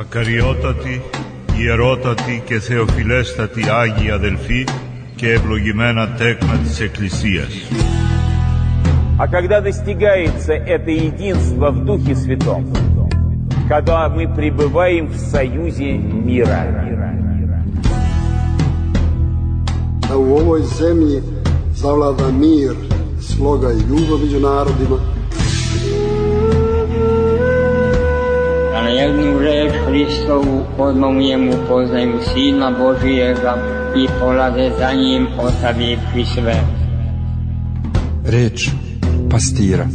Ακαριότατοι, ιερότατοι και θεοφιλέστατοι Άγιοι αδελφοί και ευλογημένα τέκνα της Εκκλησίας. А когда достигается это единство в Духе Святом, когда мы пребываем в союзе мира. Da u ovoj zemlji zavlada mir, sloga i ljubav među narodima. Da na jednu reč Hristovu odmah u njemu poznaju Sina Božijega i polade za njim ostavivši sve. Reč pastira.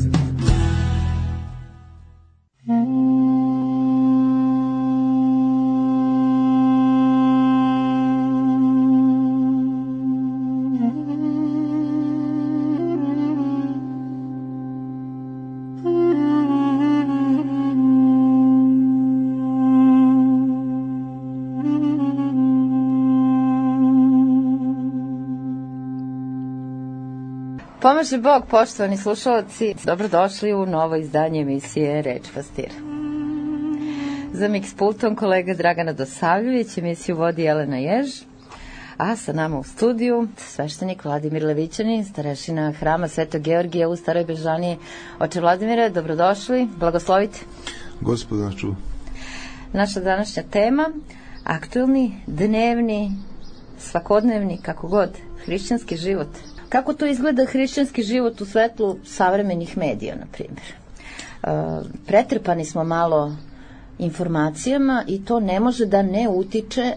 Pomaže Bog, poštovani slušalci, dobrodošli u novo izdanje emisije Reč pastira. Za miks pultom kolega Dragana Dosavljević, emisiju vodi Jelena Jež, a sa nama u studiju sveštenik Vladimir Levićanin, starešina hrama Svetog Georgija u Staroj Bežaniji. Oče Vladimire, dobrodošli, blagoslovite. Gospod nas čuva. Naša današnja tema, aktuelni, dnevni, svakodnevni, kako god, hrišćanski život. Kako to izgleda hrišćanski život u svetlu savremenih medija, na primjer? Pretrpani smo malo informacijama i to ne može da ne utiče,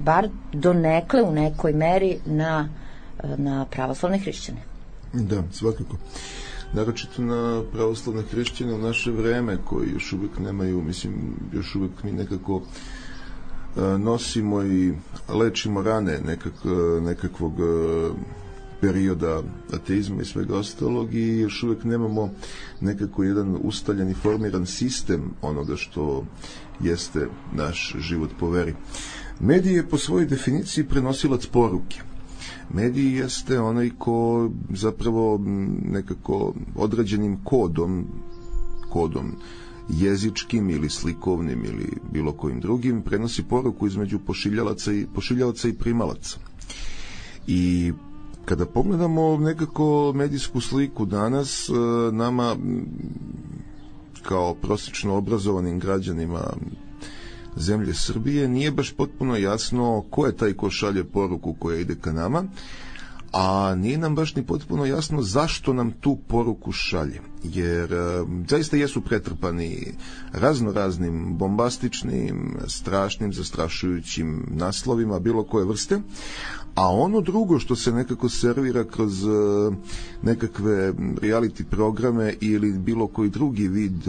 bar donekle u nekoj meri, na pravoslavne hrišćane. Da, svakako. Naročito na pravoslavne hrišćane u naše vreme, koji još uvijek nemaju, još uvijek mi nekako nosimo i lečimo rane nekakvog perioda ateizma i svega ostalog i još uvijek nemamo nekako jedan ustaljen i formiran sistem onoga što jeste naš život po veri. Medij je po svojoj definiciji prenosilac poruke. Medij jeste onaj ko zapravo nekako određenim kodom jezičkim ili slikovnim ili bilo kojim drugim prenosi poruku između pošiljalaca i primalaca. I kada pogledamo nekako medijsku sliku danas, nama kao prosječno obrazovanim građanima zemlje Srbije nije baš potpuno jasno ko je taj ko šalje poruku koja ide ka nama, a nije nam baš ni potpuno jasno zašto nam tu poruku šalje, jer zaista jesu pretrpani raznoraznim bombastičnim, strašnim, zastrašujućim naslovima bilo koje vrste, a ono drugo što se nekako servira kroz nekakve reality programe ili bilo koji drugi vid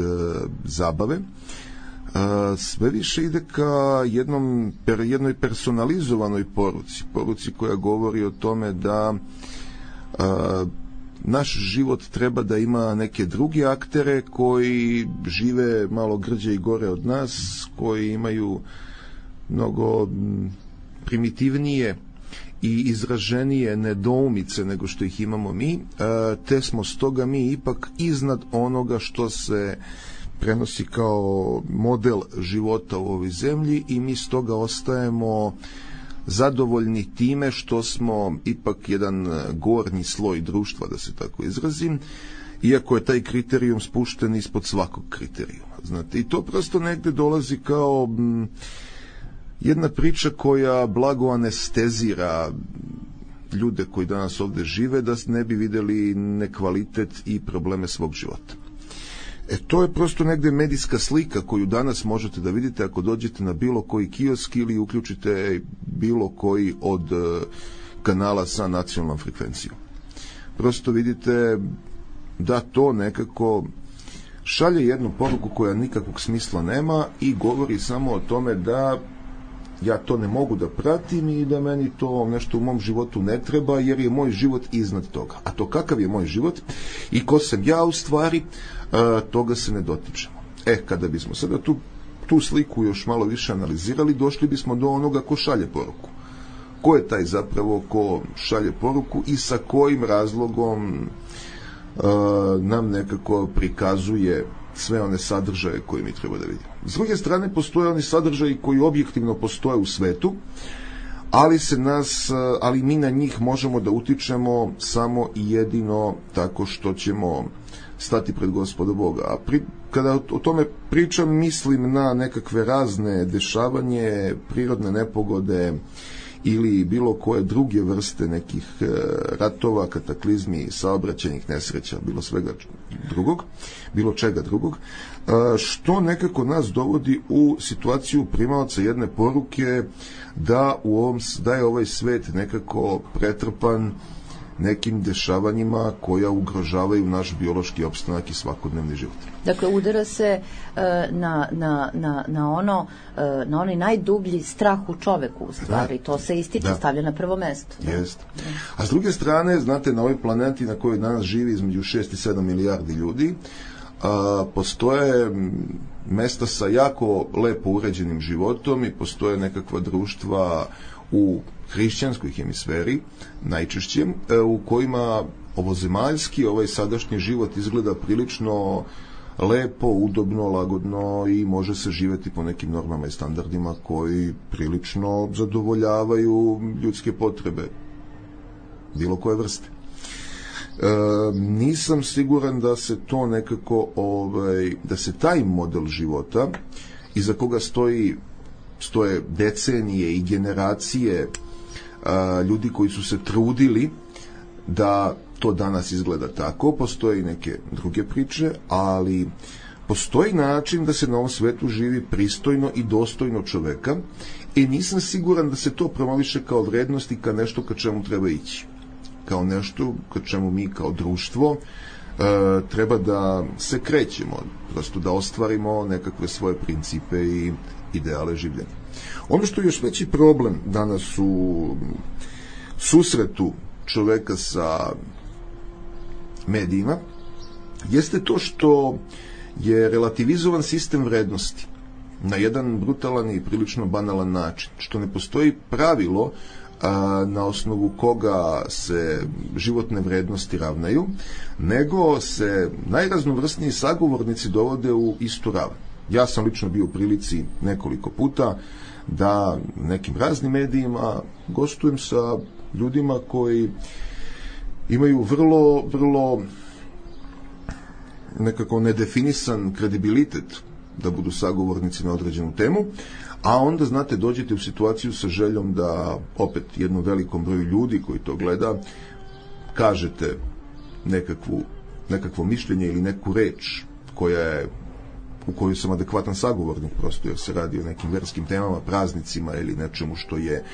zabave, sve više ide ka jednoj personalizovanoj poruci koja govori o tome da naš život treba da ima neke druge aktere koji žive malo grđe i gore od nas, koji imaju mnogo primitivnije i izraženije nedoumice nego što ih imamo mi, te smo stoga mi ipak iznad onoga što se prenosi kao model života u ovoj zemlji i mi stoga ostajemo zadovoljni time što smo ipak jedan gornji sloj društva, da se tako izrazim, iako je taj kriterijum spušten ispod svakog kriterijuma. Znate, i to prosto negde dolazi kao jedna priča koja blago anestezira ljude koji danas ovde žive da ne bi videli nekvalitet i probleme svog života. To je prosto negde medijska slika koju danas možete da vidite ako dođete na bilo koji kiosk ili uključite bilo koji od kanala sa nacionalnom frekvencijom. Prosto vidite da to nekako šalje jednu poruku koja nikakvog smisla nema i govori samo o tome da ja to ne mogu da pratim i da meni to nešto u mom životu ne treba jer je moj život iznad toga. A to kakav je moj život i ko sam ja u stvari, toga se ne dotičemo. Kada bismo sada tu sliku još malo više analizirali, došli bismo do onoga ko šalje poruku. Ko je taj zapravo ko šalje poruku i sa kojim razlogom nam nekako prikazuje sve one sadržaje koje mi treba da vidimo. S druge strane, postoje oni sadržaji koji objektivno postoje u svetu, ali mi na njih možemo da utičemo samo i jedino tako što ćemo stati pred Gospoda Boga. A kada o tome pričam, mislim na nekakve razne dešavanje, prirodne nepogode ili bilo koje druge vrste nekih ratova, kataklizmi, saobraćajnih nesreća, bilo čega drugog, što nekako nas dovodi u situaciju primaoca jedne poruke da je ovaj svet nekako pretrpan nekim dešavanjima koja ugrožavaju naš biološki opstanak i svakodnevni život. Dakle, udara se na onaj najdublji strah u čoveku, u stvari. To se ističe, stavlja na prvo mesto. Jeste. A s druge strane, znate, na ovoj planeti na kojoj danas živi između 6 i 7 milijardi ljudi, postoje mesta sa jako lepo uređenim životom i postoje nekakva društva u hrišćanskoj hemisferi, najčešće, u kojima ovozemaljski, ovaj sadašnji život izgleda prilično lepo, udobno, lagodno i može se živjeti po nekim normama i standardima koji prilično zadovoljavaju ljudske potrebe bilo koje vrste. Nisam siguran da se to nekako, da se taj model života iza koga stoje decenije i generacije ljudi koji su se trudili da to danas izgleda tako. Postoje i neke druge priče, ali postoji način da se na ovom svetu živi pristojno i dostojno čoveka i nisam siguran da se to promoviše kao vrednost i kao nešto ka čemu treba ići. Kao nešto ka čemu mi kao društvo treba da se krećemo, prosto da ostvarimo nekakve svoje principe i ideale življenja. Ono što je još veći problem danas u susretu čoveka sa medijima jeste to što je relativizovan sistem vrednosti na jedan brutalan i prilično banalan način, što ne postoji pravilo na osnovu koga se životne vrednosti ravnaju, nego se najraznovrsniji sagovornici dovode u istu ravan. Ja sam lično bio u prilici nekoliko puta da nekim raznim medijima gostujem sa ljudima koji imaju vrlo nekako nedefinisan kredibilitet da budu sagovornici na određenu temu, a onda, znate, dođete u situaciju sa željom da opet jednom velikom broju ljudi koji to gleda kažete nekakvo mišljenje ili neku reč u kojoj sam adekvatan sagovornik, prosto jer se radi o nekim verskim temama, praznicima ili nečemu što je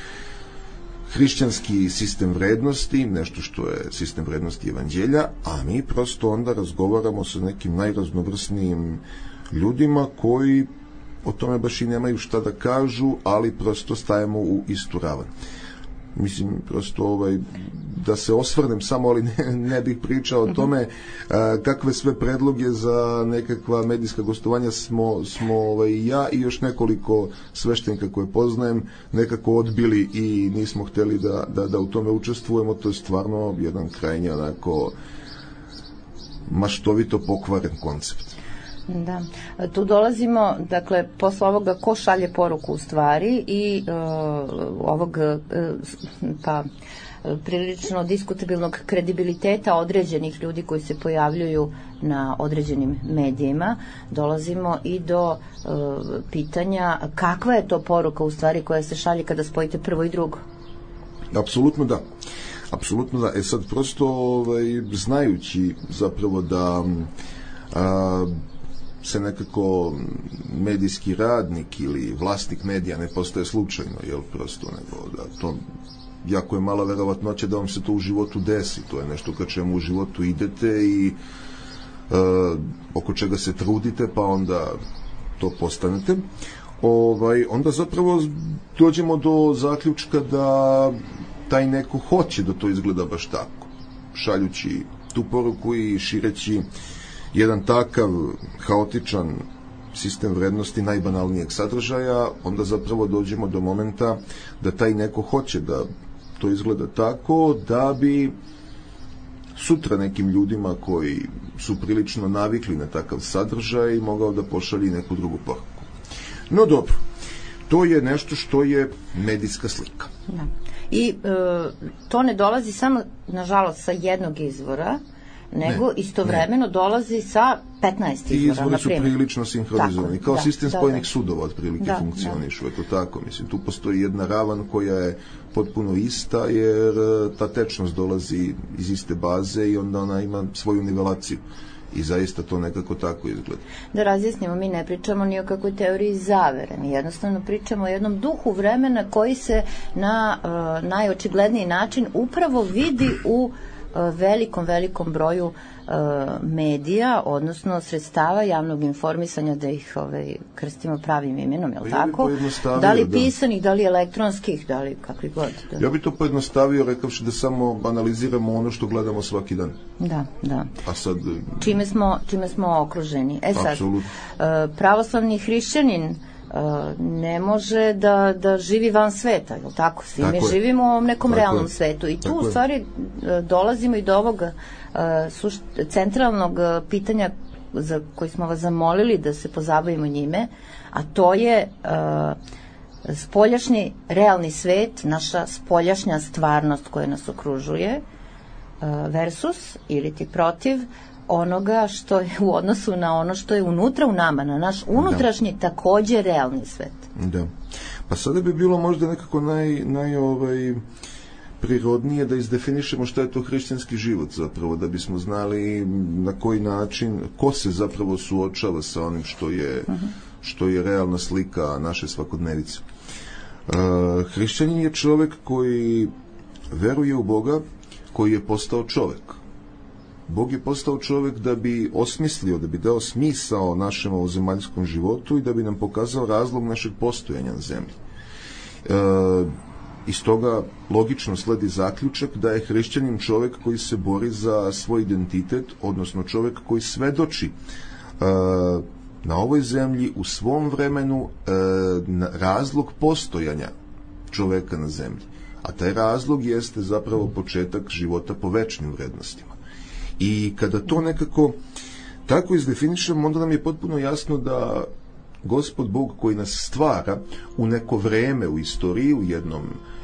hrišćanski sistem vrednosti, nešto što je sistem vrednosti evanđelja, a mi prosto onda razgovaramo sa nekim najraznovrsnijim ljudima koji o tome baš i nemaju šta da kažu, ali prosto stajemo u istu ravan. Mislim, prosto da se osvrnem samo, ali ne bih pričao o tome kakve sve predloge za nekakva medijska gostovanja smo ja i još nekoliko sveštenika koje poznajem nekako odbili i nismo hteli da u tome učestvujemo. To je stvarno jedan krajnje onako maštovito pokvaren koncept. Da, tu dolazimo, dakle, posle ovoga ko šalje poruku u stvari i ovog prilično diskutabilnog kredibiliteta određenih ljudi koji se pojavljuju na određenim medijima, dolazimo i do pitanja kakva je to poruka u stvari koja se šalje kada spojite prvo i drugo. Apsolutno da. Apsolutno da. Sad prosto znajući zapravo da se nekako medijski radnik ili vlasnik medija ne postaje slučajno, prosto nego da to jako je mala verovatnoća da vam se to u životu desi. To je nešto ka čemu u životu idete i oko čega se trudite, pa onda to postanete. Onda zapravo dođemo do zaključka da taj neko hoće da to izgleda baš tako. Šaljući tu poruku i šireći jedan takav haotičan sistem vrednosti najbanalnijeg sadržaja, onda zapravo dođemo do momenta da taj neko hoće da to izgleda tako, da bi sutra nekim ljudima koji su prilično navikli na takav sadržaj mogao da pošalji neku drugu poruku. No dobro, to je nešto što je medijska slika. Da. I to ne dolazi samo, nažalost, sa jednog izvora, nego istovremeno dolazi sa 15 izvora. I izvori su prilično sinhronizovani. Kao sistem spojenih sudova otprilike funkcionišu. Eto tako, mislim, tu postoji jedna ravan koja je potpuno ista, jer ta tečnost dolazi iz iste baze i onda ona ima svoju nivelaciju. I zaista to nekako tako izgleda. Da razjasnimo, mi ne pričamo ni o kakvoj teoriji zavere, mi jednostavno pričamo o jednom duhu vremena koji se na najočigledniji način upravo vidi u velikom broju medija, odnosno sredstava javnog informisanja, da ih krstimo pravim imenom, jel tako? Da li pisanih, da li elektronskih, da li kakvi god. Da. Ja bi to pojednostavio rekavši da samo analiziramo ono što gledamo svaki dan. Da. A sad... Čime smo okruženi. Sad, pravoslavni hrišćanin ne može da živi van sveta, je li tako? Svi mi živimo u nekom realnom svetu i tu u stvari dolazimo i do ovog centralnog pitanja za koji smo vas zamolili da se pozabavimo njime, a to je spoljašnji realni svet, naša spoljašnja stvarnost koja nas okružuje versus ili ti protiv onoga što je u odnosu na ono što je unutra u nama, na naš unutrašnji takođe realni svet. Da. Pa sada bi bilo možda nekako prirodnije da izdefinišemo šta je to hrišćanski život zapravo, da bismo znali na koji način, ko se zapravo suočava sa onim što je realna slika naše svakodnevice. Hrišćanin je čovek koji veruje u Boga, koji je postao čovek. Bog je postao čovek da bi osmislio, da bi dao smisao našem ovozemaljskom životu i da bi nam pokazao razlog našeg postojanja na zemlji. Iz toga logično sledi zaključak da je hrišćanin čovek koji se bori za svoj identitet, odnosno čovek koji svedoči na ovoj zemlji u svom vremenu razlog postojanja čoveka na zemlji. A taj razlog jeste zapravo početak života po večnim vrednostima. I kada to nekako tako izdefinišemo, onda nam je potpuno jasno da Gospod Bog koji nas stvara u neko vreme u istoriji, u jednom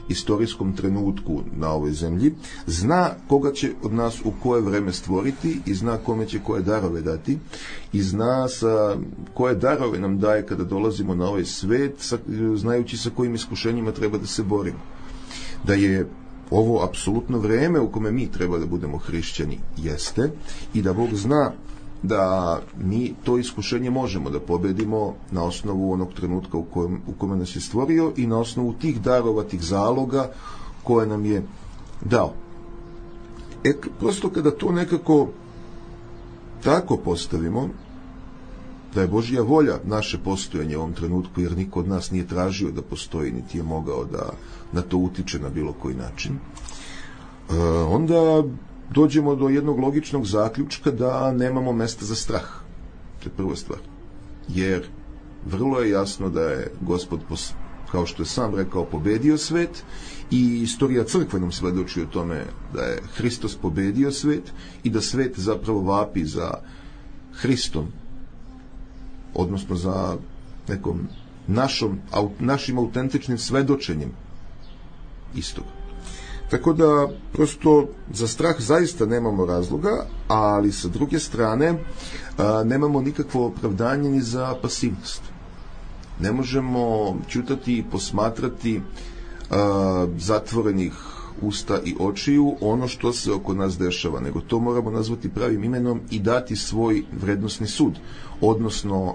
istorijskom trenutku na ovoj zemlji, zna koga će od nas u koje vreme stvoriti i zna kome će koje darove dati i zna koje darove nam daje kada dolazimo na ovaj svet, znajući sa kojim iskušenjima treba da se borimo. Da je ovo apsolutno vreme u kome mi treba da budemo hrišćani jeste i da Bog zna da mi to iskušenje možemo da pobedimo na osnovu onog trenutka u kome nas je stvorio i na osnovu tih darova, tih zaloga koje nam je dao. Prosto kada to nekako tako postavimo, da je Božja volja naše postojanje u ovom trenutku, jer niko od nas nije tražio da postoji, niti je mogao da na to utiče na bilo koji način, onda dođemo do jednog logičnog zaključka da nemamo mesta za strah. To je prva stvar. Jer vrlo je jasno da je Gospod, kao što je sam rekao, pobedio svet i istorija crkve nam svedoči o tome da je Hristos pobedio svet i da svet zapravo vapi za Hristom, odnosno za nekom našim autentičnim svedočenjem istog. Tako da, prosto, za strah zaista nemamo razloga, ali sa druge strane nemamo nikakvo opravdanje ni za pasivnost. Ne možemo ćutati i posmatrati zatvorenih usta i očiju ono što se oko nas dešava, nego to moramo nazvati pravim imenom i dati svoj vrednosni sud, odnosno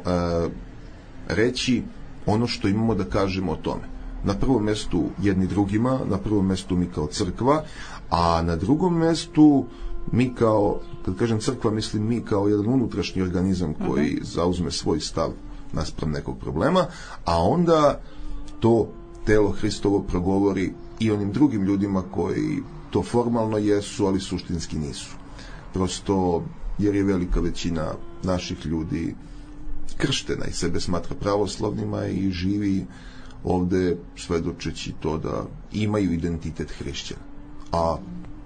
reći ono što imamo da kažemo o tome. Na prvom mestu jedni drugima, na prvom mestu mi kao crkva, a na drugom mestu mi kao, kad kažem crkva, mislim mi kao jedan unutrašnji organizam koji zauzme svoj stav naspram nekog problema, a onda to telo Hristovo progovori i onim drugim ljudima koji to formalno jesu, ali suštinski nisu. Prosto, jer je velika većina naših ljudi krštena i sebe smatra pravoslavnima i živi ovde svedočeći to da imaju identitet hrišćana. A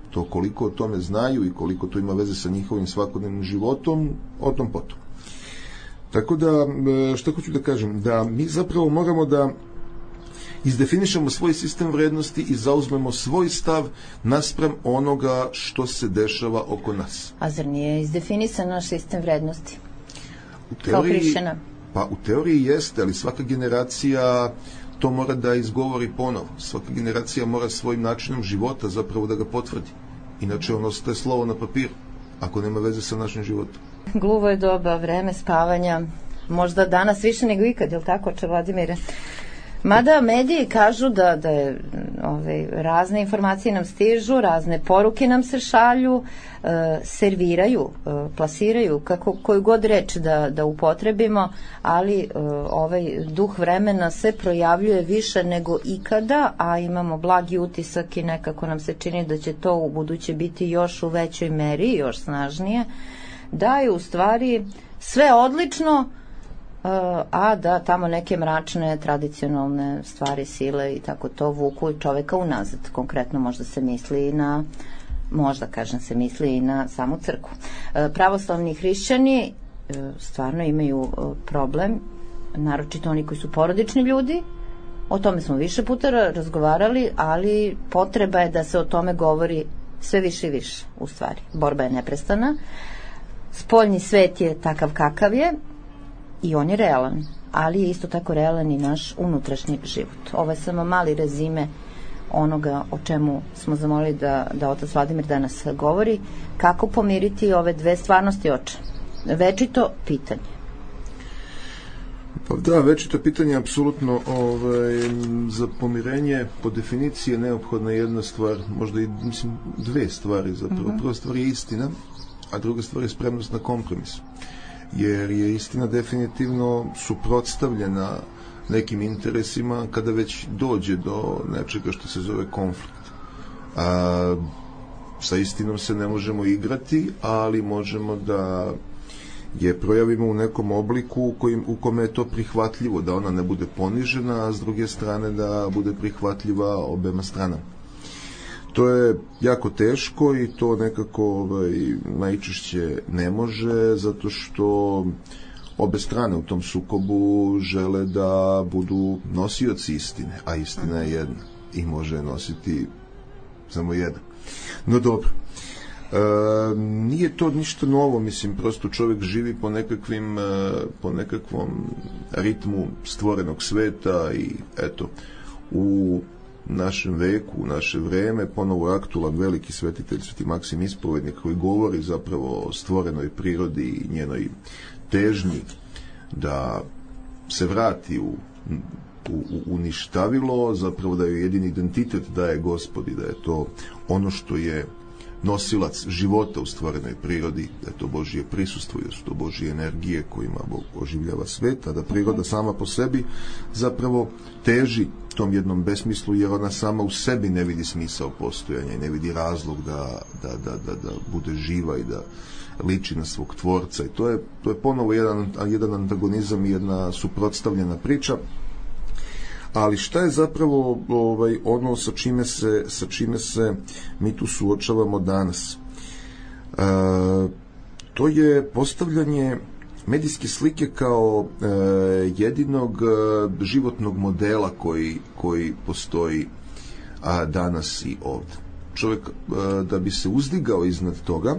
To koliko o tome znaju i koliko to ima veze sa njihovim svakodnevnim životom, o tom potom. Tako da, što hoću da kažem, da mi zapravo moramo da izdefinišemo svoj sistem vrednosti i zauzmemo svoj stav naspram onoga što se dešava oko nas. A zar nije izdefinisan naš sistem vrednosti? Kao hrišćana? Pa u teoriji jeste, ali svaka generacija to mora da izgovori ponovo. Svaka generacija mora svojim načinom života zapravo da ga potvrdi. Inače on ostaje slovo na papiru, ako nema veze sa našim životom. Gluvo je doba, vreme spavanja, možda danas više nego ikad, je li tako, oče Vladimire? Mada mediji kažu da je, razne informacije nam stižu, razne poruke nam se šalju, serviraju, plasiraju, koju god reč da upotrebimo, ali ovaj duh vremena se projavljuje više nego ikada, a imamo blagi utisak i nekako nam se čini da će to u buduće biti još u većoj meri, još snažnije, da je u stvari sve odlično, a da tamo neke mračne, tradicionalne stvari, sile i tako to vuku čoveka unazad. Konkretno možda se misli i na samu crkvu. Pravoslavni hrišćani stvarno imaju problem, naročito oni koji su porodični ljudi, o tome smo više puta razgovarali, ali potreba je da se o tome govori sve više i više, u stvari. Borba je neprestana. Spoljni svet je takav kakav je, i on je realan, ali je isto tako realan i naš unutrašnji život. Ovo je samo mali rezime onoga o čemu smo zamolili da otac Vladimir danas govori. Kako pomiriti ove dve stvarnosti, oče? Večito pitanje. Pa da, večito pitanje je apsolutno za pomirenje po definiciji je neophodna jedna stvar, možda i dve stvari zapravo. Prva stvar je istina, a druga stvar je spremnost na kompromis. Jer je istina definitivno suprotstavljena nekim interesima kada već dođe do nečega što se zove konflikt. Sa istinom se ne možemo igrati, ali možemo da je projavimo u nekom obliku u kome je to prihvatljivo, da ona ne bude ponižena, a s druge strane da bude prihvatljiva obema stranama. To je jako teško i to nekako najčešće ne može, zato što obe strane u tom sukobu žele da budu nosioci istine, a istina je jedna i može nositi samo jedan. No dobro, nije to ništa novo, mislim, prosto čovjek živi po nekakvom ritmu stvorenog sveta i eto, u našem veku, u naše vreme, ponovo aktualan veliki svetitelj Sveti Maksim Ispovednik koji govori zapravo o stvorenoj prirodi i njenoj težnji da se vrati u uništavilo, zapravo da joj jedini identitet daje Gospod i da je to ono što je nosilac života u stvorenoj prirodi, da je to Božje prisustvo i da su to Božje energije kojima Bog oživljava svet, a da priroda sama po sebi zapravo teži tom jednom besmislu, jer ona sama u sebi ne vidi smisao postojanja i ne vidi razlog da bude živa i da liči na svog tvorca. I to je ponovo jedan antagonizam i jedna suprotstavljena priča. Ali šta je zapravo ono sa čime se mi tu suočavamo danas? To je postavljanje medijske slike kao jedinog životnog modela koji postoji danas i ovdje. Čovjek da bi se uzdigao iznad toga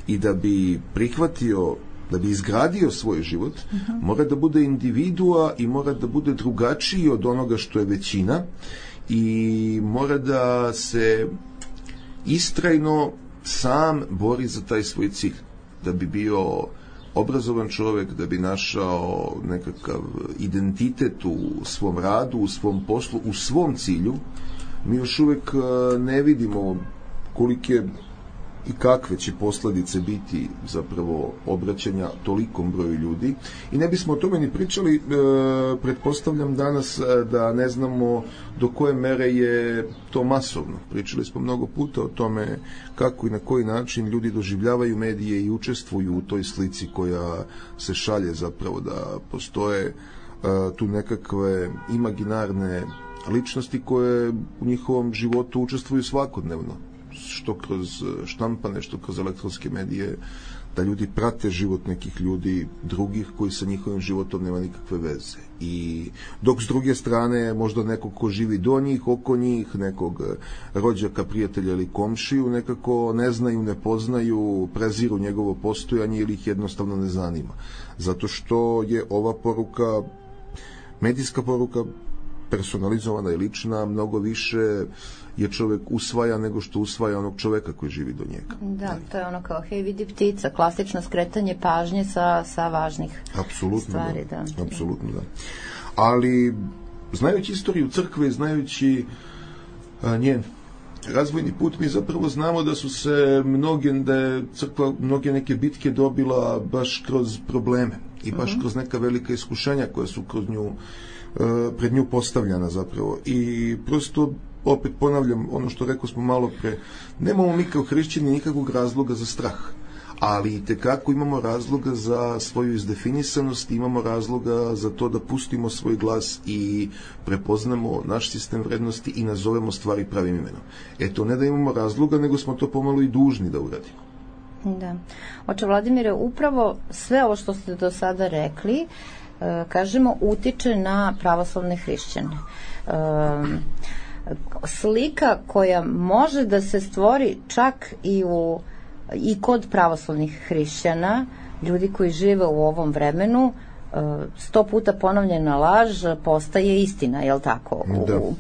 i da bi prihvatio, da bi izgradio svoj život, mora da bude individua i mora da bude drugačiji od onoga što je većina i mora da se istrajno sam bori za taj svoj cilj, da bi bio obrazovan čovjek, da bi našao nekakav identitet u svom radu, u svom poslu, u svom cilju. Mi još uvijek ne vidimo kolike i kakve će posljedice biti zapravo obraćanja tolikom broju ljudi i ne bismo o tome ni pričali, pretpostavljam danas da ne znamo do koje mere je to masovno. Pričali smo mnogo puta o tome kako i na koji način ljudi doživljavaju medije i učestvuju u toj slici koja se šalje, zapravo da postoje tu nekakve imaginarne ličnosti koje u njihovom životu učestvuju svakodnevno. što kroz štampane, što kroz elektronske medije, da ljudi prate život nekih ljudi drugih koji sa njihovim životom nema nikakve veze. I dok s druge strane možda nekog ko živi do njih, oko njih, nekog rođaka, prijatelja ili komšiju, nekako ne znaju, ne poznaju, preziru njegovo postojanje ili ih jednostavno ne zanima. Zato što je ova poruka, medijska poruka, personalizovana i lična, mnogo više je čovjek usvaja nego što usvaja onog čovjeka koji živi do njega. Da, to je ono kao hej vidi ptica, klasično skretanje pažnje sa važnih stvari. Da. Apsolutno da. Ali znajući istoriju crkve, znajući njen razvojni put, mi zapravo znamo da su se da je crkva mnoge neke bitke dobila baš kroz probleme i baš kroz neka velika iskušenja koja su kroz nju pred nju postavljana zapravo. I prosto opet ponavljam ono što rekao smo malo pre, nemamo mi kao hrišćani nikakvog razloga za strah, ali itekako imamo razloga za svoju izdefinisanost, imamo razloga za to da pustimo svoj glas i prepoznamo naš sistem vrednosti i nazovemo stvari pravim imenom. Eto, ne da imamo razloga, nego smo to pomalo i dužni da uradimo. Da. Oče Vladimire, upravo sve ovo što ste do sada rekli, kažemo, utiče na pravoslavne hrišćane. Slika koja može da se stvori čak i kod pravoslavnih hrišćana, ljudi koji žive u ovom vremenu, 100 puta ponovljena laž postaje istina, je li tako?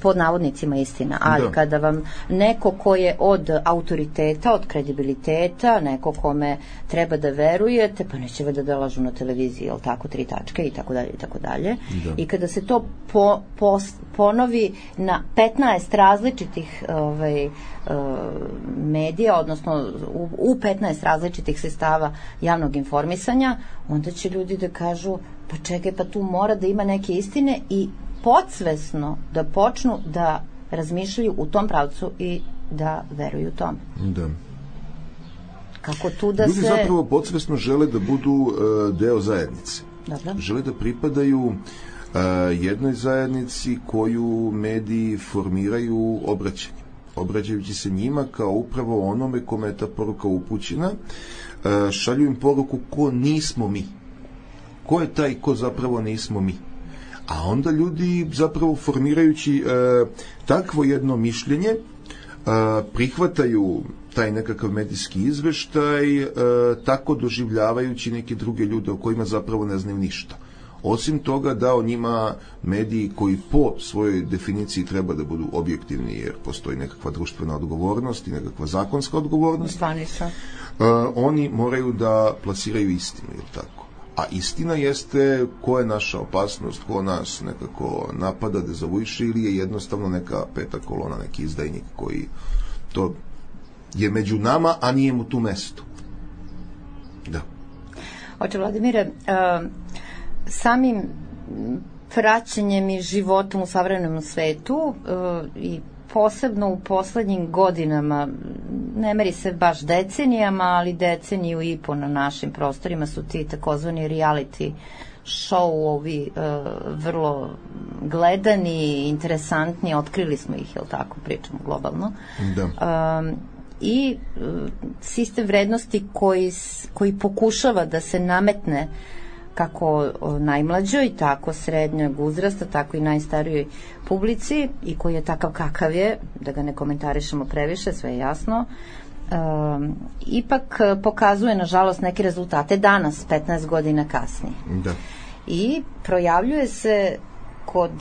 Pod navodnicima istina. Ali kada vam neko ko je od autoriteta, od kredibiliteta, neko kome treba da verujete, pa neće da lažu na televiziji, je li tako, 3 tačke i tako dalje i tako dalje. I kada se to ponovi na 15 različitih medija, odnosno u 15 različitih sredstava javnog informisanja, onda će ljudi da kažu pa čekaj, pa tu mora da ima neke istine i podsvesno da počnu da razmišljaju u tom pravcu i da veruju tome. Da. Kako tu da ljudi zapravo podsvesno žele da budu deo zajednice. Dobro. Žele da pripadaju jednoj zajednici koju mediji formiraju obraćajući se njima kao upravo onome kome je ta poruka upućena, šalju im poruku ko nismo mi. Ko je taj ko zapravo nismo mi? A onda ljudi zapravo formirajući takvo jedno mišljenje prihvataju taj nekakav medijski izveštaj, tako doživljavajući neke druge ljude o kojima zapravo ne znaju ništa. Osim toga da o njima mediji koji po svojoj definiciji treba da budu objektivni, jer postoji nekakva društvena odgovornost i nekakva zakonska odgovornost, oni moraju da plasiraju istinu, je tako? A istina jeste ko je naša opasnost, ko nas nekako napada, dezavuiše ili je jednostavno neka peta kolona, neki izdajnik koji to je među nama, a nije mu tu mesto. Da. Oče Vladimire, samim praćenjem i životom u savremenom svetu i posebno u poslednjim godinama, ne meri se baš decenijama, ali deceniju i po na našim prostorima su ti takozvani reality show-ovi vrlo gledani, interesantni, otkrili smo ih, jel tako, pričamo globalno. Da. I sistem vrednosti koji pokušava da se nametne kako najmlađoj, tako srednjeg uzrasta, tako i najstarijoj publici i koji je takav kakav je, da ga ne komentarišemo previše, sve je jasno, ipak pokazuje, nažalost, neke rezultate danas, 15 godina kasnije. Da. I projavljuje se kod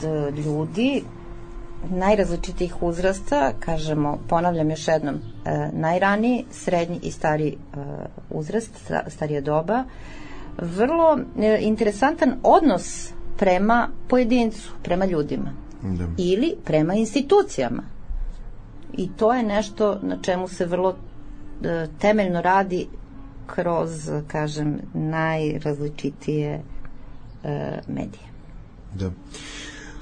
ljudi najrazličitih uzrasta, kažemo, ponavljam još jednom, najraniji, srednji i stari uzrast, starija doba, vrlo interesantan odnos prema pojedincu, prema ljudima. Da. Ili prema institucijama. I to je nešto na čemu se vrlo temeljno radi kroz, kažem, najrazličitije medije. Da.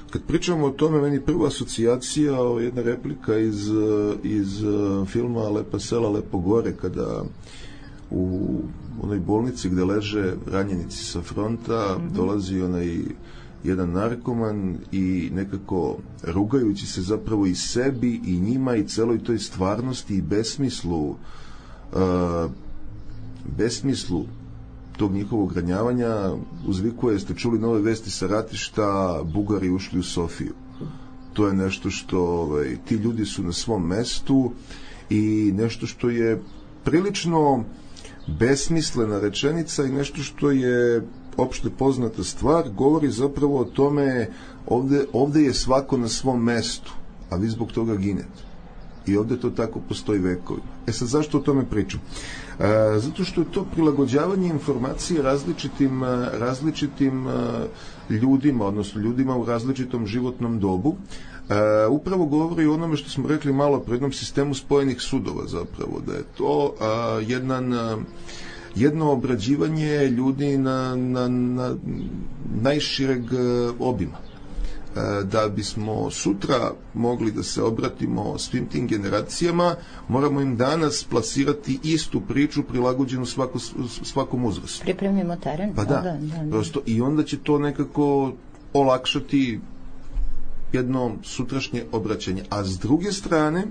Kad pričamo o tome, meni prva asocijacija, jedna replika iz filma Lepa sela, lepo gore, kada u onoj bolnici gde leže ranjenici sa fronta, dolazi onaj jedan narkoman i nekako rugajući se zapravo i sebi i njima i celoj toj stvarnosti i besmislu tog njihovog ranjavanja uzvikuje, ste čuli nove vesti sa ratišta, Bugari ušli u Sofiju. To je nešto što ti ljudi su na svom mestu i nešto što je prilično besmislena rečenica i nešto što je opšte poznata stvar, govori zapravo o tome ovde je svako na svom mestu, a vi zbog toga ginete. I ovde to tako postoji vekovima. Sad zašto o tome pričam? Zato što je to prilagođavanje informacije različitim ljudima, odnosno ljudima u različitom životnom dobu. Upravo govori o onome što smo rekli malo pre jednom sistemu spojenih sudova zapravo, da je to jedno obrađivanje ljudi na najšireg obima. Da bismo sutra mogli da se obratimo svim tim generacijama, moramo im danas plasirati istu priču prilagođenu svakom uzrastu. Pripremimo teren. Pa da. Prosto, i onda će to nekako olakšati jedno sutrašnje obraćanje. A s druge strane,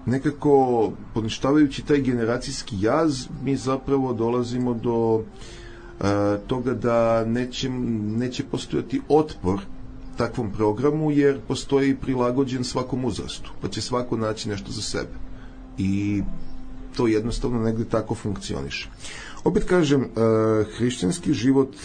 nekako poništavajući taj generacijski jaz, mi zapravo dolazimo do toga da neće postojati otpor takvom programu, jer postoji prilagođen svakom uzrastu, pa će svako naći nešto za sebe. I to jednostavno negde tako funkcioniše. Opet kažem, hrišćanski život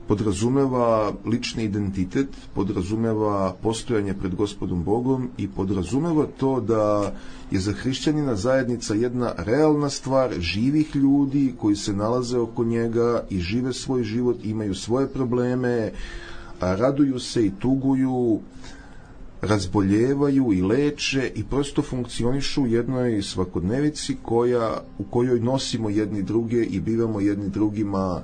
podrazumeva lični identitet, podrazumeva postojanje pred Gospodom Bogom i podrazumeva to da je za hrišćanina zajednica jedna realna stvar živih ljudi koji se nalaze oko njega i žive svoj život, imaju svoje probleme, raduju se i tuguju, razboljevaju i leče i prosto funkcionišu u jednoj svakodnevici u kojoj nosimo jedni druge i bivamo jedni drugima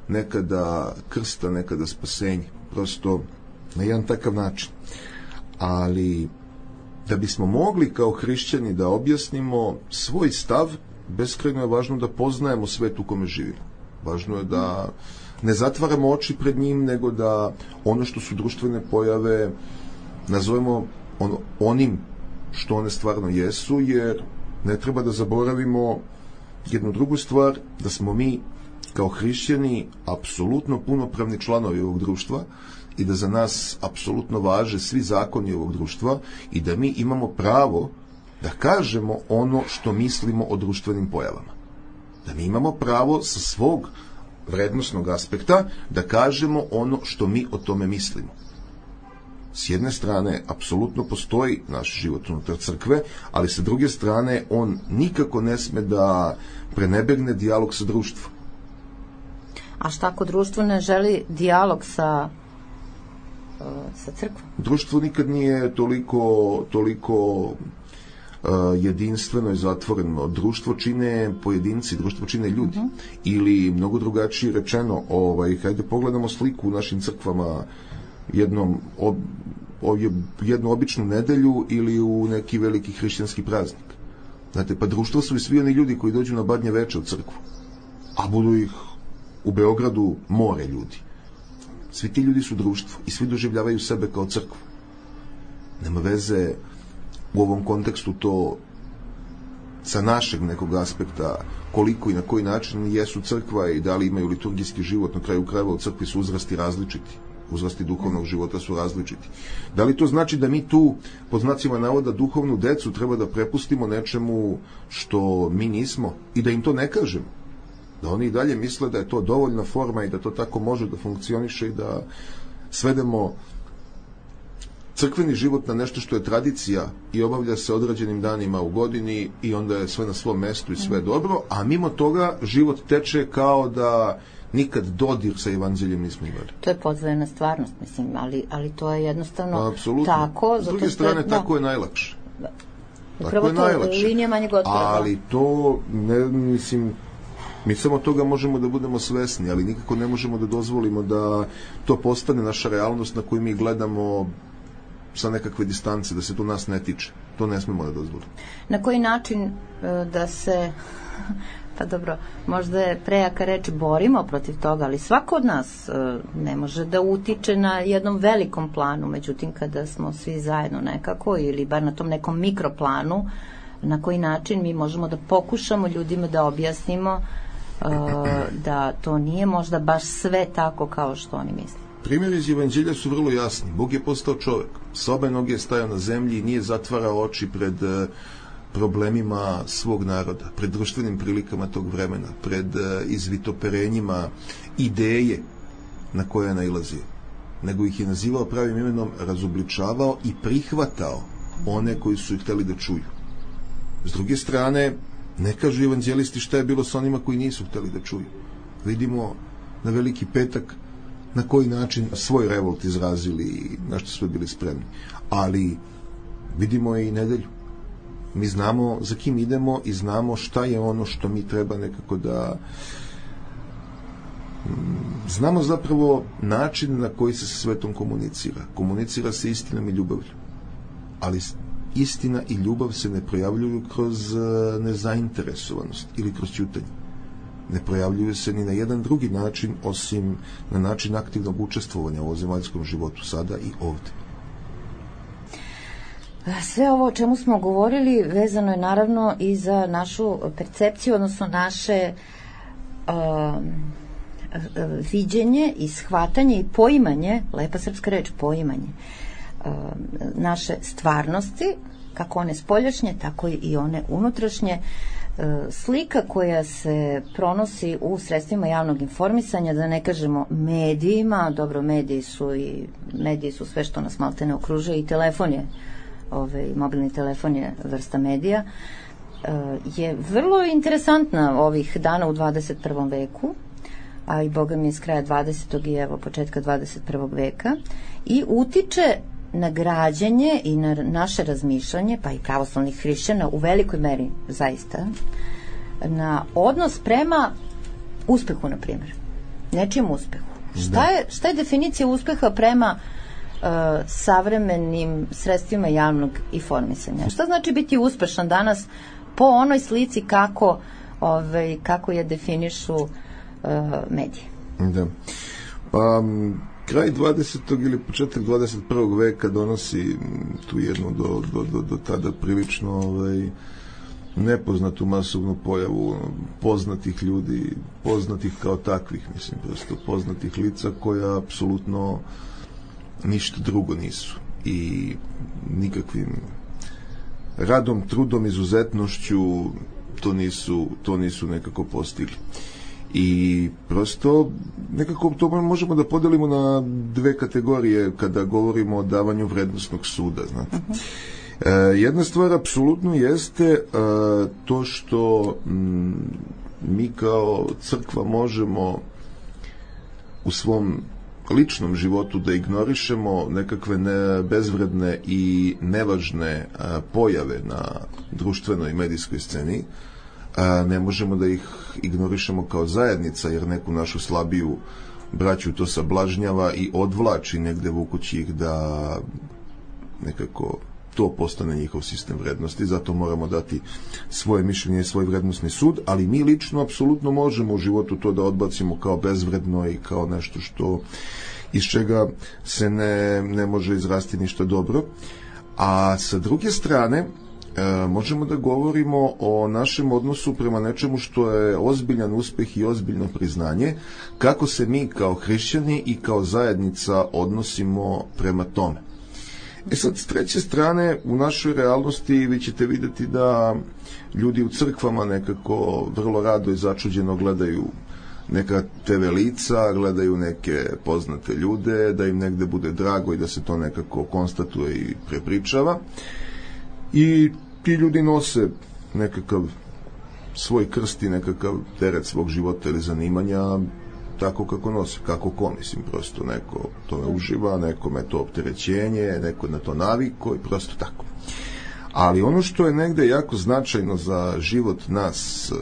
nekada krsta, nekada spasenje. Prosto na jedan takav način. Ali da bismo mogli kao hrišćani da objasnimo svoj stav, beskrajno je važno da poznajemo svet u kome živimo. Važno je da ne zatvaramo oči pred njim, nego da ono što su društvene pojave nazovemo onim što one stvarno jesu, jer ne treba da zaboravimo jednu drugu stvar, da smo mi kao hrišćani apsolutno punopravni članovi ovog društva i da za nas apsolutno važe svi zakoni ovog društva i da mi imamo pravo da kažemo ono što mislimo o društvenim pojavama. Da mi imamo pravo sa svog vrednosnog aspekta da kažemo ono što mi o tome mislimo. S jedne strane, apsolutno postoji naš život unutar crkve, ali sa druge strane, on nikako ne sme da prenebegne dijalog sa društvom. A šta ako društvo ne želi dijalog sa crkvom? Društvo nikad nije toliko jedinstveno i zatvoreno. Društvo čine pojedinci, društvo čine ljudi. Ili, mnogo drugačije rečeno, hajde pogledamo sliku u našim crkvama jednu običnu nedelju ili u neki veliki hrišćanski praznik. Znate, pa društvo su i svi oni ljudi koji dođu na Badnje veče u crkvu, a budu ih u Beogradu more ljudi. Svi ti ljudi su društvo i svi doživljavaju sebe kao crkvu. Nema veze u ovom kontekstu to sa našeg nekog aspekta koliko i na koji način jesu crkva i da li imaju liturgijski život. Na kraju krajeva u crkvi su uzrasti različiti. Uzrasti duhovnog života su različiti. Da li to znači da mi tu, pod znacima navoda, duhovnu decu treba da prepustimo nečemu što mi nismo i da im to ne kažemo? Da oni i dalje misle da je to dovoljna forma i da to tako može da funkcioniše i da svedemo crkveni život na nešto što je tradicija i obavlja se određenim danima u godini i onda je sve na svom mestu i sve dobro, a mimo toga život teče kao da nikad dodir sa evanđeljem nismo imali. To je podvojena stvarnost, mislim, ali to je jednostavno apsolutno tako. S druge strane, tako je najlakše. Upravo to, linija manjeg otpora. Ali to, mi samo toga možemo da budemo svesni, ali nikako ne možemo da dozvolimo da to postane naša realnost na koju mi gledamo sa nekakve distance, da se to nas ne tiče. To ne smemo da dozvolimo. Na koji način da se Pa dobro, možda je prejaka reč borimo protiv toga, ali svako od nas ne može da utiče na jednom velikom planu, međutim kada smo svi zajedno nekako ili bar na tom nekom mikroplanu, na koji način mi možemo da pokušamo ljudima da objasnimo da to nije možda baš sve tako kao što oni misle. Primjeri iz Evanđelja su vrlo jasni. Bog je postao čovjek. S obe noge je stajao na zemlji i nije zatvarao oči pred problemima svog naroda, pred društvenim prilikama tog vremena, pred izvitoperenjima ideje na koje je nailazio. Nego ih je nazivao pravim imenom, razobličavao i prihvatao one koji su ih hteli da čuju. S druge strane, ne kažu evanđelisti šta je bilo s onima koji nisu hteli da čuju. Vidimo na Veliki petak na koji način svoj revolt izrazili i na što su bili spremni. Ali vidimo i nedelju. Mi znamo za kim idemo i znamo šta je ono što mi treba nekako da znamo zapravo način na koji se sa svetom komunicira. Komunicira se istinom i ljubavlju. Ali istina i ljubav se ne projavljuju kroz nezainteresovanost ili kroz ćutanje. Ne projavljuju se ni na jedan drugi način osim na način aktivnog učestvovanja u ovozemaljskom životu sada i ovde. Sve ovo o čemu smo govorili vezano je naravno i za našu percepciju, odnosno naše viđenje i shvatanje i poimanje, lepa srpska reč, poimanje naše stvarnosti, kako one spoljašnje, tako i one unutrašnje. Slika koja se pronosi u sredstvima javnog informisanja, da ne kažemo medijima, dobro, mediji su sve što nas maltene okružuje i telefon je, mobilni telefon je vrsta medija, je vrlo interesantna ovih dana u 21. veku, a i Boga mi je s kraja 20. i evo početka 21. veka, i utiče na građenje i na naše razmišljanje, pa i pravoslavnih hrišćana u velikoj meri, zaista, na odnos prema uspehu, na primjer. Nečijem uspehu. Šta je definicija uspeha prema savremenim sredstvima javnog informisanja? Šta znači biti uspešan danas po onoj slici kako je definišu mediji? Da. Pa kraj 20. ili početak 21. veka donosi tu jednu do tada prilično nepoznatu masovnu pojavu poznatih ljudi, poznatih kao takvih, mislim, prosto poznatih lica koja apsolutno ništa drugo nisu i nikakvim radom, trudom, izuzetnošću to nisu nekako postigli. I prosto nekako to možemo da podelimo na dve kategorije kada govorimo o davanju vrednosnog suda, znate. Jedna stvar apsolutno jeste to što mi kao crkva možemo u svom ličnom životu da ignorišemo nekakve bezvredne i nevažne pojave na društvenoj i medijskoj sceni. Ne možemo da ih ignorišemo kao zajednica, jer neku našu slabiju braću to sablažnjava i odvlači negde vukući ih da nekako to postane njihov sistem vrednosti. Zato moramo dati svoje mišljenje i svoj vrednosni sud, ali mi lično apsolutno možemo u životu to da odbacimo kao bezvredno i kao nešto iz čega se ne može izrasti ništa dobro. A sa druge strane možemo da govorimo o našem odnosu prema nečemu što je ozbiljan uspeh i ozbiljno priznanje, kako se mi kao hrišćani i kao zajednica odnosimo prema tome. Sad, s treće strane, u našoj realnosti vi ćete vidjeti da ljudi u crkvama nekako vrlo rado i začuđeno gledaju neka TV lica, gledaju neke poznate ljude, da im negde bude drago i da se to nekako konstatuje i prepričava. I ti ljudi nose nekakav svoj krst i nekakav teret svog života ili zanimanja tako kako nose, kako ko, mislim, prosto neko to uživa, nekome to opterećenje, neko na to naviko i prosto tako. Ali ono što je negde jako značajno za život nas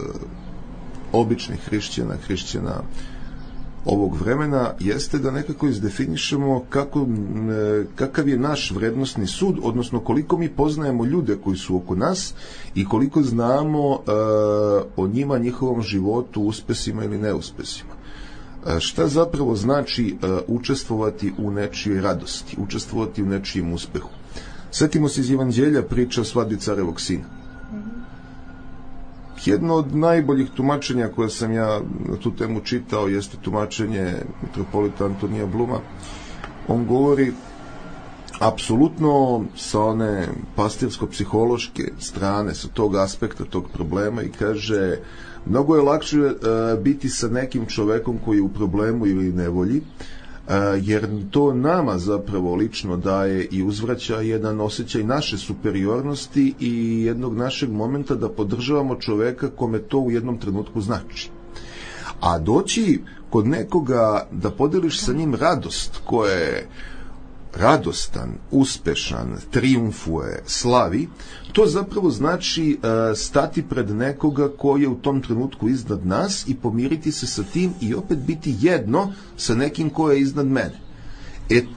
običnih hrišćana ovog vremena jeste da nekako izdefinišemo kakav je naš vrednosni sud, odnosno koliko mi poznajemo ljude koji su oko nas i koliko znamo o njima, njihovom životu, uspesima ili neuspesima. Šta zapravo znači učestvovati u nečijoj radosti, učestvovati u nečijem uspehu? Setimo se iz Evanđelja priča o svadbi carevog sina. Jedno od najboljih tumačenja koje sam ja na tu temu čitao jeste tumačenje mitropolita Antonija Bluma. On govori apsolutno sa one pastirsko-psihološke strane, sa tog aspekta, tog problema, i kaže: mnogo je lakše biti sa nekim čovekom koji je u problemu ili nevolji, jer to nama zapravo lično daje i uzvraća jedan osjećaj naše superiornosti i jednog našeg momenta da podržavamo čoveka kome to u jednom trenutku znači. A doći kod nekoga da podeliš sa njim radost, koja je radostan, uspešan, trijumfuje, slavi, to zapravo znači stati pred nekoga koji je u tom trenutku iznad nas i pomiriti se sa tim i opet biti jedno sa nekim ko je iznad mene.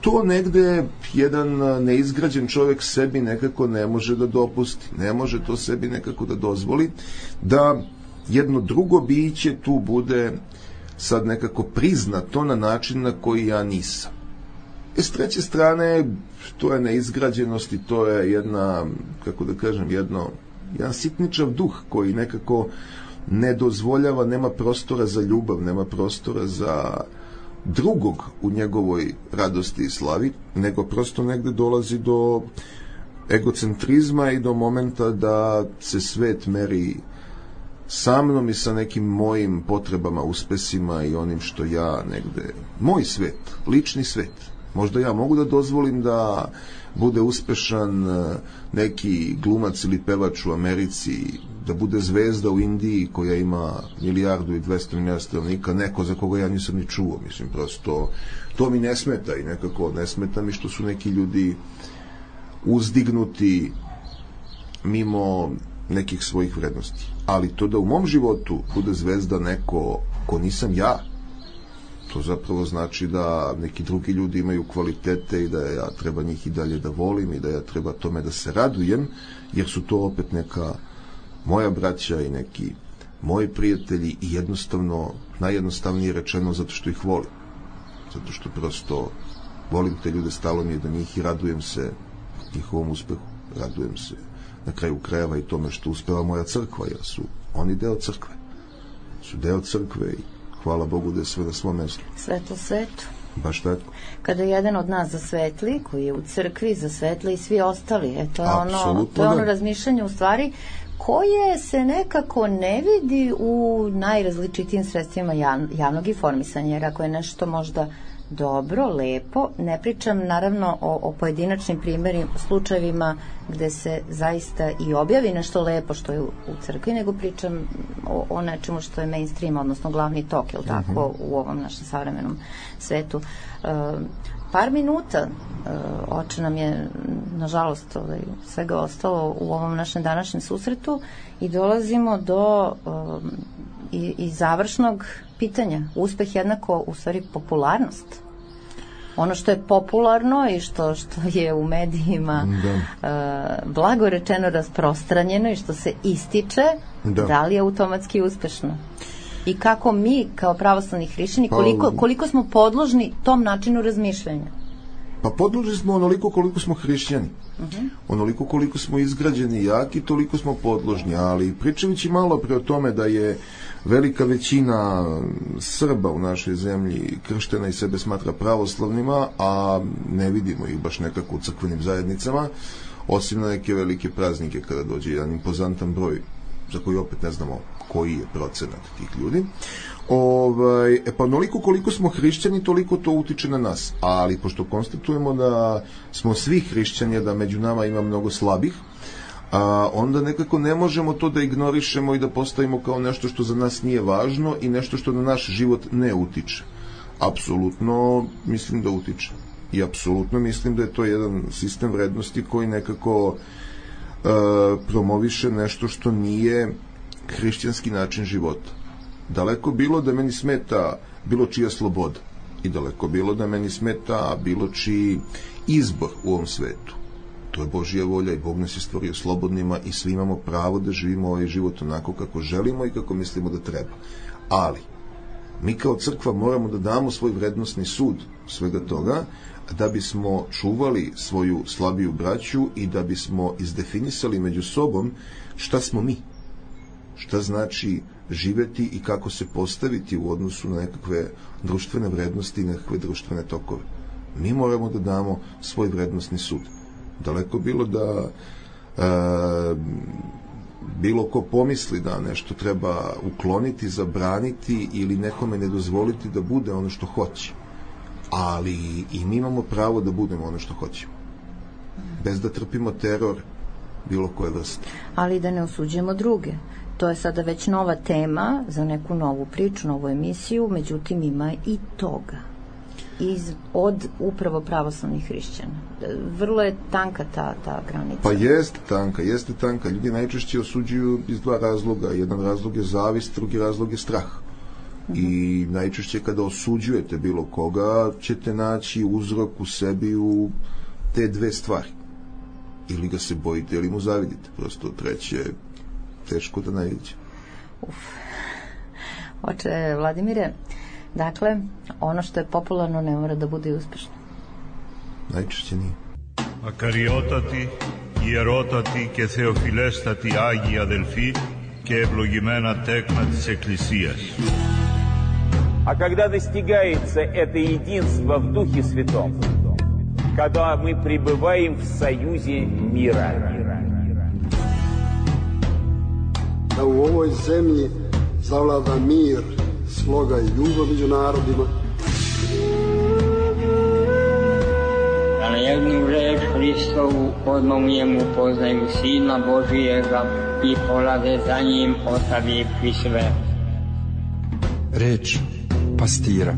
To negde jedan neizgrađen čovjek sebi nekako ne može da dopusti, ne može to sebi nekako da dozvoli, da jedno drugo biće tu bude sad nekako priznato na način na koji ja nisam. S treće strane, to je neizgrađenost i to je jedna, kako da kažem, jedan sitničav duh koji nekako ne dozvoljava, nema prostora za ljubav, nema prostora za drugog u njegovoj radosti i slavi, nego prosto negde dolazi do egocentrizma i do momenta da se svet meri sa mnom i sa nekim mojim potrebama, uspesima i onim što ja negde, moj svet, lični svet. Možda ja mogu da dozvolim da bude uspešan neki glumac ili pevač u Americi, da bude zvezda u Indiji koja ima 1.200.000.000 stanovnika, neko za koga ja nisam ni čuo. Mislim, prosto to mi ne smeta i nekako ne smeta mi što su neki ljudi uzdignuti mimo nekih svojih vrednosti. Ali to da u mom životu bude zvezda neko ko nisam ja, to zapravo znači da neki drugi ljudi imaju kvalitete i da ja treba njih i dalje da volim i da ja treba tome da se radujem, jer su to opet neka moja braća i neki moji prijatelji i jednostavno, najjednostavnije rečeno, zato što ih volim. Zato što prosto volim te ljude, stalo mi je do njih i radujem se njihovom uspehu. Radujem se na kraju krajeva i tome što uspeva moja crkva, jer su oni deo crkve. Su deo crkve i hvala Bogu da je sve na svom mjestu. Svetlo svetu. Baš tako. Kada jedan od nas zasvetli, koji je u crkvi, zasvetli i svi ostali. To je ono razmišljanje u stvari koje se nekako ne vidi u najrazličitijim sredstvima javnog informisanja, jer ako je nešto možda dobro, lepo, ne pričam naravno o pojedinačnim primjerima, slučajevima gde se zaista i objavi nešto lepo što je u crkvi, nego pričam o nečemu što je mainstream, odnosno glavni tok, je li tako, u ovom našem savremenom svetu. Par minuta oče nam je, nažalost, svega ostalo u ovom našem današnjem susretu i dolazimo do i završnog pitanja. Uspeh jednako, u stvari, popularnost. Ono što je popularno i što je u medijima blago rečeno rasprostranjeno i što se ističe, da li je automatski uspešno? I kako mi, kao pravoslavni hrišćani, koliko smo podložni tom načinu razmišljanja? Pa podložni smo onoliko koliko smo hrišćani. Onoliko koliko smo izgrađeni i jaki, toliko smo podložni. Ali pričajući malo pre o tome da je velika većina Srba u našoj zemlji krštena i sebe smatra pravoslavnima, a ne vidimo ih baš nekako u crkvenim zajednicama, osim na neke velike praznike kada dođe jedan impozantan broj, za koji opet ne znamo koji je procenat tih ljudi. Pa onoliko koliko smo hrišćani, toliko to utiče na nas. Ali pošto konstatujemo da smo svi hrišćani, da među nama ima mnogo slabih, onda nekako ne možemo to da ignorišemo i da postavimo kao nešto što za nas nije važno i nešto što na naš život ne utiče. Apsolutno mislim da utiče. I apsolutno mislim da je to jedan sistem vrednosti koji nekako promoviše nešto što nije hrišćanski način života. Daleko bilo da meni smeta bilo čija sloboda. I daleko bilo da meni smeta bilo čiji izbor u ovom svetu. To je Božja volja i Bog nas je stvorio slobodnima i svi imamo pravo da živimo ovaj život onako kako želimo i kako mislimo da treba. Ali, mi kao crkva moramo da damo svoj vrednosni sud svega toga, da bismo čuvali svoju slabiju braću i da bismo izdefinisali među sobom šta smo mi, šta znači živeti i kako se postaviti u odnosu na nekakve društvene vrednosti i nekakve društvene tokove. Mi moramo da damo svoj vrednosni sud. Daleko bilo da bilo ko pomisli da nešto treba ukloniti, zabraniti ili nekome ne dozvoliti da bude ono što hoće. Ali i mi imamo pravo da budemo ono što hoćemo. Bez da trpimo teror bilo koje vrste. Ali da ne osuđujemo druge. To je sada već nova tema za neku novu priču, novu emisiju, međutim ima i toga. Od upravo pravoslavnih hrišćana. Vrlo je tanka ta granica. Pa jeste tanka. Ljudi najčešće osuđuju iz dva razloga. Jedan razlog je zavist, drugi razlog je strah. I najčešće kada osuđujete bilo koga ćete naći uzrok u sebi u te dve stvari. Ili ga se bojite ili mu zavidite. Prosto treće je teško da najviđe. Oče Vladimire, dakle, ono što je popularno ne mora da bude uspešno. Najčešće nije. Ακαριότατη, ιερότατη και θεοφιλέστατη Άγιοι αδελφοί και ευλογημένα τέκνα της Εκκλησίας. А когда достигается это единство в Духе Святом, когда мы пребываем в союзе мира. Da u ovoj zemlji zavlada mir, sloga i ljubav među narodima. Da na jednu reč Hristovu odmah u njemu poznaju Sina Božijega i polade za njim ostavivši sve. Reč pastira.